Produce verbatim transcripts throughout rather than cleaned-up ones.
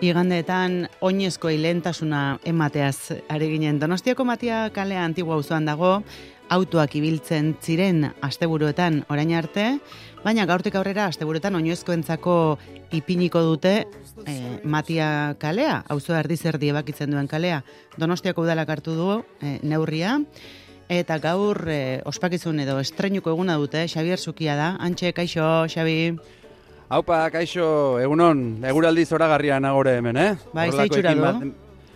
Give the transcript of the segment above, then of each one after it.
igandeetan oinezko ilentasuna emateaz ari ginen. Donostiako Matia kalea Antigua auzoan dago, autoak ibiltzen ziren asteburuetan orain arte, baina gaurtik aurrera asteburuetan oinezkoentzako ipiniko dute eh, Matia kalea, auzoa erdiz erdi ebakitzen duen kalea. Donostiako udalak hartu du eh, neurria, eta gaur eh, ospakizun edo estreinuko eguna dute. Xabier Zukia da. Antxe, kaixo, Xabi. Haupa, kaixo, egunon, eguraldi zoragarria nagore hemen, eh? Bai, ze itxura du?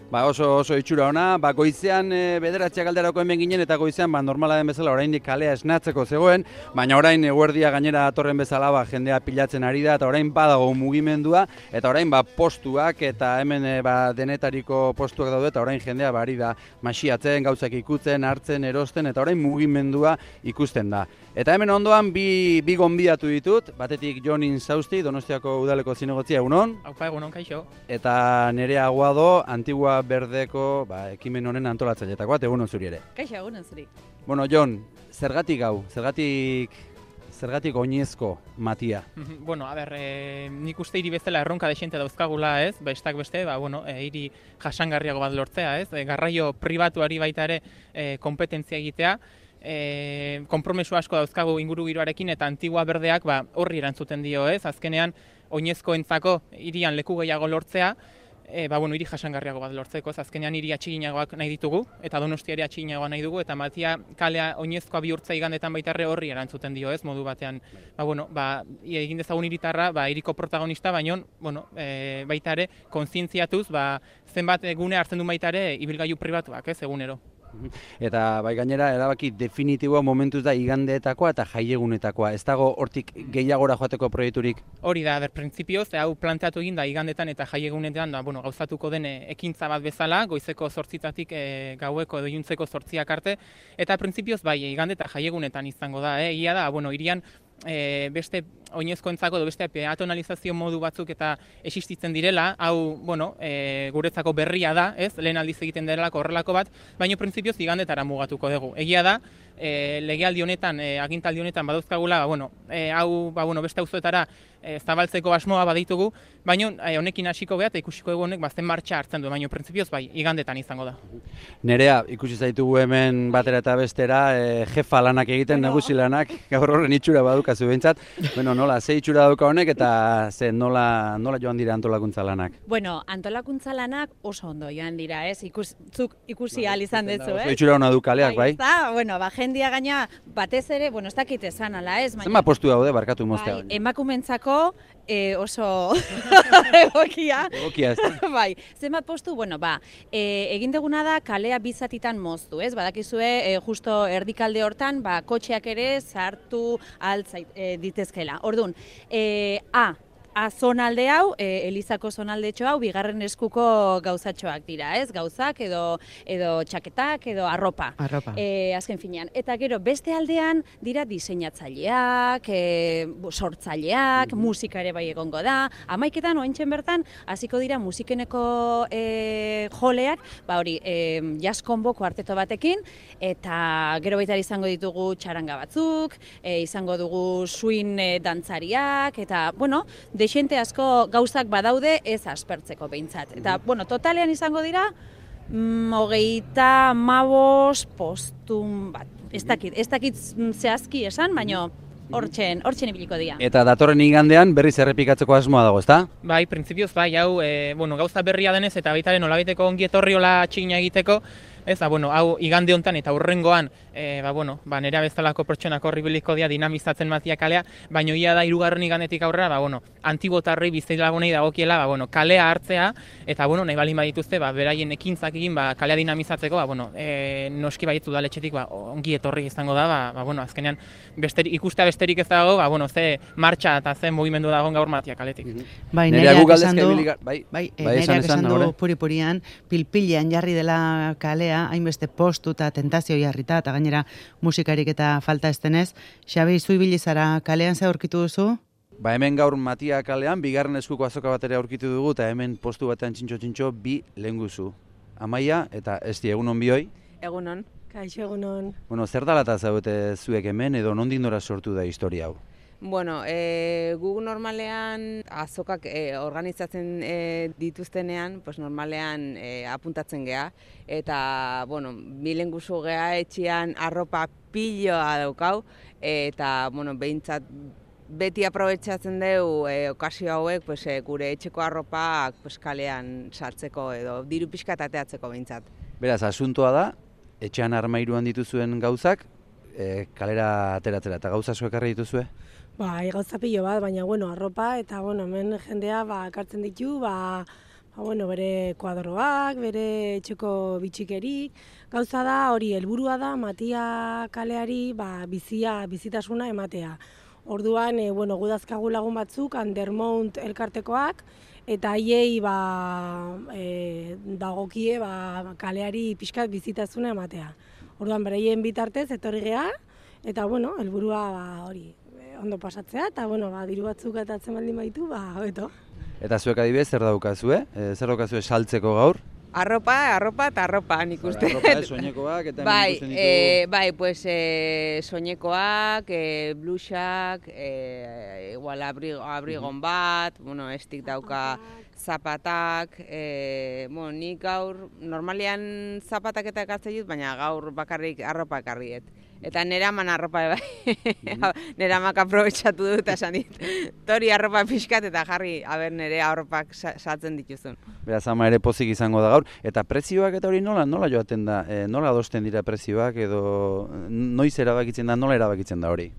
Ba, oso, oso itxura ona, ba, goizean e, bederatziak alderako hemen ginen, eta goizean, ba, normala den bezala, oraindik kalea esnatzeko zegoen, baina orain eguerdia gainera atorren bezala, ba, jendea pilatzen ari da, eta orain badago mugimendua, eta orain, ba, postuak, eta hemen, e, ba, denetariko postuak daude, eta orain jendea, ba, ari da, masiatzen, gauzak ikutzen, hartzen, erosten, eta orain mugimendua ikusten da. Eta hemen ondoan bi, bi gonbidatu ditut, batetik Jon Insausti, Donostiako udaleko zinegotzia, egunon. Haupa, egunon, kaixo. Eta Nerea Aguado, Antigua Berdeko ba, ekimen honen antolatzaileetakoa, egunon zuri ere. Kaixo, egunon zuri. Bueno, Jon, zergatik hau, zergatik, zergatik oinezko Matia? Bueno, a ber, e, nik uste hiri bezala erronka desente dauzkagula, ez? Bestak beste, ba, bueno, e, hiri jasangarriago bat lortzea, ez? E, garraio pribatuari baita ere e, kompetentzia egitea. E, konpromesu asko dauzkagu ingurugiroarekin eta Antigua Berdeak ba, horri erantzuten dio, ez? Azkenean, oinezkoentzako hirian leku gehiago lortzea, e, ba, bueno, hiri jasangarriago bat lortzeko, ez? Azkenean hiri atxiginagoak nahi ditugu, eta Donostia ere atxiginagoa nahi dugu, eta Matia kalea oinezkoa bihurtza igandetan baita ere horri erantzuten dio, ez? Modu batean, ba, bueno, ba, egin dezagun hiritarra, ba, hiriko protagonista, baino, bueno, e, baita ere, kontzientziatuz, ba, zenbat gune hartzen du baita ere ibilgailu pribatuak, ez, egunero. Eta bai gainera erabaki definitiboa momentuz da igandeetakoa eta jaiegunetakoa. Ez dago hortik gehiagora joateko proiekturik? Hori da, ber, printzipioz, hau planteatu egin da igandetan eta jaiegunetan da, bueno, gauzatuko den ekintza bat bezala, goizeko zortzitatik e, gaueko edo iluntzeko zortziak arte, eta printzipioz bai, igande eta jaiegunetan izango da, eh? Egia da, bueno, irian e, beste oinezkoentzako edo beste peatonalizazio modu batzuk eta existitzen direla, hau, bueno, e, guretzako berria da, ez? Lehen aldiz egiten delako horrelako bat, baina printzipioz igandetara mugatuko dugu. Egia da, e, legealdi honetan, e, agintaldi honetan badauzkagula, ba, bueno, e, hau, ba, bueno, beste auzoetara e, zabaltzeko asmoa baditugu, baina e, honekin hasiko beha eta ikusiko dugu honek bazen martxa hartzen du, baina printzipioz bai, igandetan izango da. Nerea, ikusi zaitugu hemen batera eta bestera, e, jefa lanak egiten, bueno, nagusi lanak, gaur horren itxura badukazu behintzat. Bueno, nola, ze itxura dauka honek eta ze nola, nola joan dira antolakuntza lanak? Bueno, antolakuntza lanak oso ondo joan dira, ez? Ikus, zuk ikusi ahal izan dutzu, ez? Oso itxura hona du kaleak, bai? Bai, bueno, ba, jendia gaina batez ere, bueno, ez dakit esan ala, ez? Zenba postu daude, barkatu moztea? Bai, emakumentzako e, oso egokia. Egokia ez da? Bai, zenbat postu, bueno, ba, e, egin deguna da kalea bizatitan moztu, ez? Badakizue, e, justo erdikalde hortan, ba, kotxeak ere sartu altzait e, ditezkela. Orduan, e, A, A zonalde hau, e, Elizako zonaldetxo hau, bigarren eskuko gauzatxoak dira, ez? Gauzak edo edo txaketak edo arropa. Arropa. E, azken finean. Eta gero, beste aldean dira diseinatzaileak, e, sortzaileak, mm-hmm. musika ere bai egongo da. Hamaiketan, oaintzen bertan, hasiko dira musikeneko e, joleak, ba hori, e, jazz combo kuarteto batekin, eta gero baita izango ditugu txaranga batzuk, e, izango dugu swing e, dantzariak, eta, bueno, desente asko gauzak badaude ez aspertzeko behintzat. Eta, bueno, totalean izango dira, mm, hogeita mabos postun bat. Ez dakit, ez dakit zehazki esan, baina hortzen, hortzen ibiliko dira. Eta datorren igandean berriz errepikatzeko asmoa dago, ezta? Bai, printzipioz bai, hau, e, bueno, gauza berria denez eta baitaren nolabiteko ongi etorri hola txigina egiteko, ez da, bueno, hau igande hontan eta hurrengoan, e, ba, bueno, ba, nera bezalako pertsonak horri biliko dira dinamizatzen Matia kalea, baina ia da hirugarren igandetik aurrera, ba, bueno, antibotarrei bizitlagunei dagokiela, ba, bueno, kalea hartzea, eta, bueno, nahi balin badituzte, ba, beraien ekintzak egin, ba, kalea dinamizatzeko, ba, bueno, e, noski baitu udaletxetik, ba, ongi etorri izango da, ba, ba bueno, azkenean, besterik, ikustea besterik ez dago, ba, bueno, ze martxa eta ze mugimendu dagoen gaur Matia kaletik. Bai, nereak esan du, bai, bai, nereak esan du puri-purian, pilpilean jarri dela kalea, hainbeste postu eta tentazio jarrita, eta gainera musikarik eta falta ez denez. Xabi, zu ibili zara kalean ze aurkitu duzu? Ba hemen gaur Matia kalean, bigarren eskuko azoka bat ere aurkitu dugu, eta hemen postu batean txintxo-txintxo bi lehenguzu. Amaia eta Esti, egunon bioi? Egunon. Kaixo, egunon. Bueno, zer dalata zaudete zuek hemen edo nondik nora sortu da historia hau? Bueno, e, gu normalean azokak e, organizatzen e, dituztenean, pues normalean e, apuntatzen gea, eta, bueno, bilen guzu gea etxian arropa piloa daukau, eta, bueno, behintzat beti aprobetxatzen dugu e, okazio hauek pues, e, gure etxeko arropak pues, kalean sartzeko edo diru pixka ateatzeko behintzat. Beraz, asuntoa da, etxean armairuan dituzuen gauzak, e, kalera ateratzera, eta gauza zuek harri dituzue? Ba, gauza pilo bat, baina, bueno, arropa, eta, bueno, hemen jendea, ba, kartzen ditu, ba, ba, bueno, bere kuadroak, bere etxeko bitxikerik. Gauza da, hori, helburua da, Matia kaleari, ba, bizia, bizitasuna ematea. Orduan, e, bueno, gudazkagu lagun batzuk, Undermount elkartekoak, eta haiei, ba, e, dagokie, ba, kaleari pixkat bizitasuna ematea. Orduan, bereien bitartez, etorri gea, eta, bueno, helburua, ba, hori, ondo pasatzea, eta, bueno, ba, diru batzuk atatzen baldin baitu, ba, hobeto. Eta zuek adibidez, zer daukazue? E, zer daukazue saltzeko gaur? Arropa, arropa eta arropa, nik uste. Arropa, eh, soinekoak, eta bai, ikusten ditugu. e, bai, pues, e, soinekoak, e, blusak, e, igual abrigo, abrigon bat, bueno, estik dauka zapatak, e, bueno, nik gaur, normalean zapatak eta ekartzen dut, baina gaur bakarrik arropa ekarriet. Eta nera man arropa bai, mm-hmm. nera mak aprobetxatu dut, esan dit, tori arropa pixkat eta jarri, aber nere arropak saltzen dituzun. Beraz, ama ere pozik izango da gaur, eta prezioak eta hori nola, nola joaten da, e, nola adosten dira prezioak, edo noiz erabakitzen da, nola erabakitzen da hori?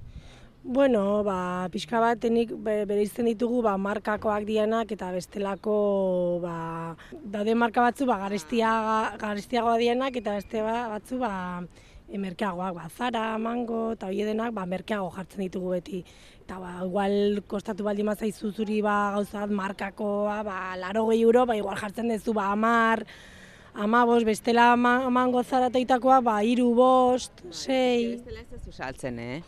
Bueno, ba, pixka batenik bereizten ditugu ba, markakoak dianak eta bestelako ba, daude marka batzu ba, garestiaga, garestiagoa dianak eta beste batzu ba, merkeagoak, ba, Zara, Mango eta hori denak ba, merkeago jartzen ditugu beti. Eta ba, igual kostatu baldin mazaizu zuri ba, gauzat markakoa, ba, larogei euro, ba, igual jartzen duzu ba, amar, ama bost, bestela Mango Zara teitakoa, ba, iru bost, sei... Bestela ez duzu saltzen, eh?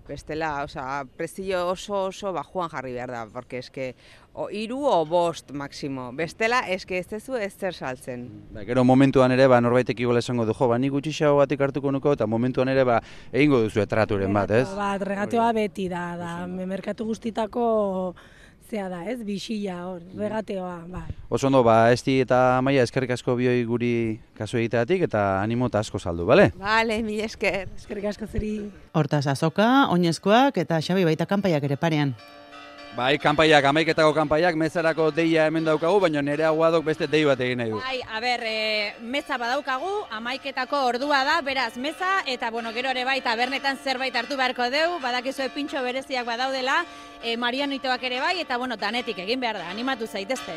Bestela, oza, prezio oso oso bajuan jarri behar da, porque eske, o iru o bost maksimo. Bestela, eske ez duzu ez zer saltzen. Ba, gero momentuan ere, ba, norbaitek igual esango du, jo, ba, nik gutxixago batik hartuko nuko, eta momentuan ere, ba, egingo duzu etraturen bat, ez? Bat, regateoa beti da, da, merkatu guztitako zea da, ez, bisila hor, regateoa, bai. Oso ondo, ba, Esti eta Amaia eskerrik asko bioi guri kasu egiteatik eta animo eta asko saldu, bale? Bale, mil esker. Eskerrik asko zeri. Hortaz azoka, oinezkoak eta Xabi baita kanpaiak ere parean. Bai, kanpaiak, amaiketako kanpaiak, mezarako deia hemen daukagu, baina nire aguadok beste dei bat egin nahi du. Bai, a ber, e, meza badaukagu, amaiketako ordua da, beraz, meza, eta bueno, gero ere bai, tabernetan zerbait hartu beharko deu, badakizue pintxo bereziak badaudela, e, Marianitoak ere bai, eta bueno, danetik egin behar da, animatu zaitezte.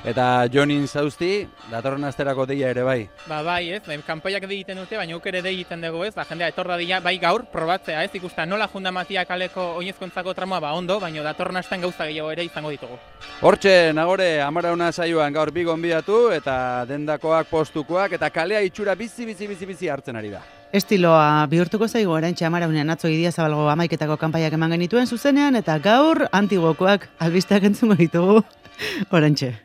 Eta Jonin Zauzti, datorren asterako deia ere bai. Ba bai, ez, kanpaiak egiten dute, baina uk ere egiten dugu, ez, ba, jendea etorra dira, bai gaur, probatzea, ez, ikusta nola junda Matia kaleko oinezkontzako tramoa, ba ondo, baina datorren astean gauza gehiago ere izango ditugu. Hortxe, Nagore, Amarauna saioan gaur bi gonbidatu, eta dendakoak, postukoak, eta kalea itxura bizi, bizi, bizi, bizi hartzen ari da. Estiloa bihurtuko zaigu oraintxe Amaraunean atzo Idiazabalgo amaiketako kanpaiak eman genituen zuzenean, eta gaur antiguokoak albisteak entzungo ditugu oraintxe.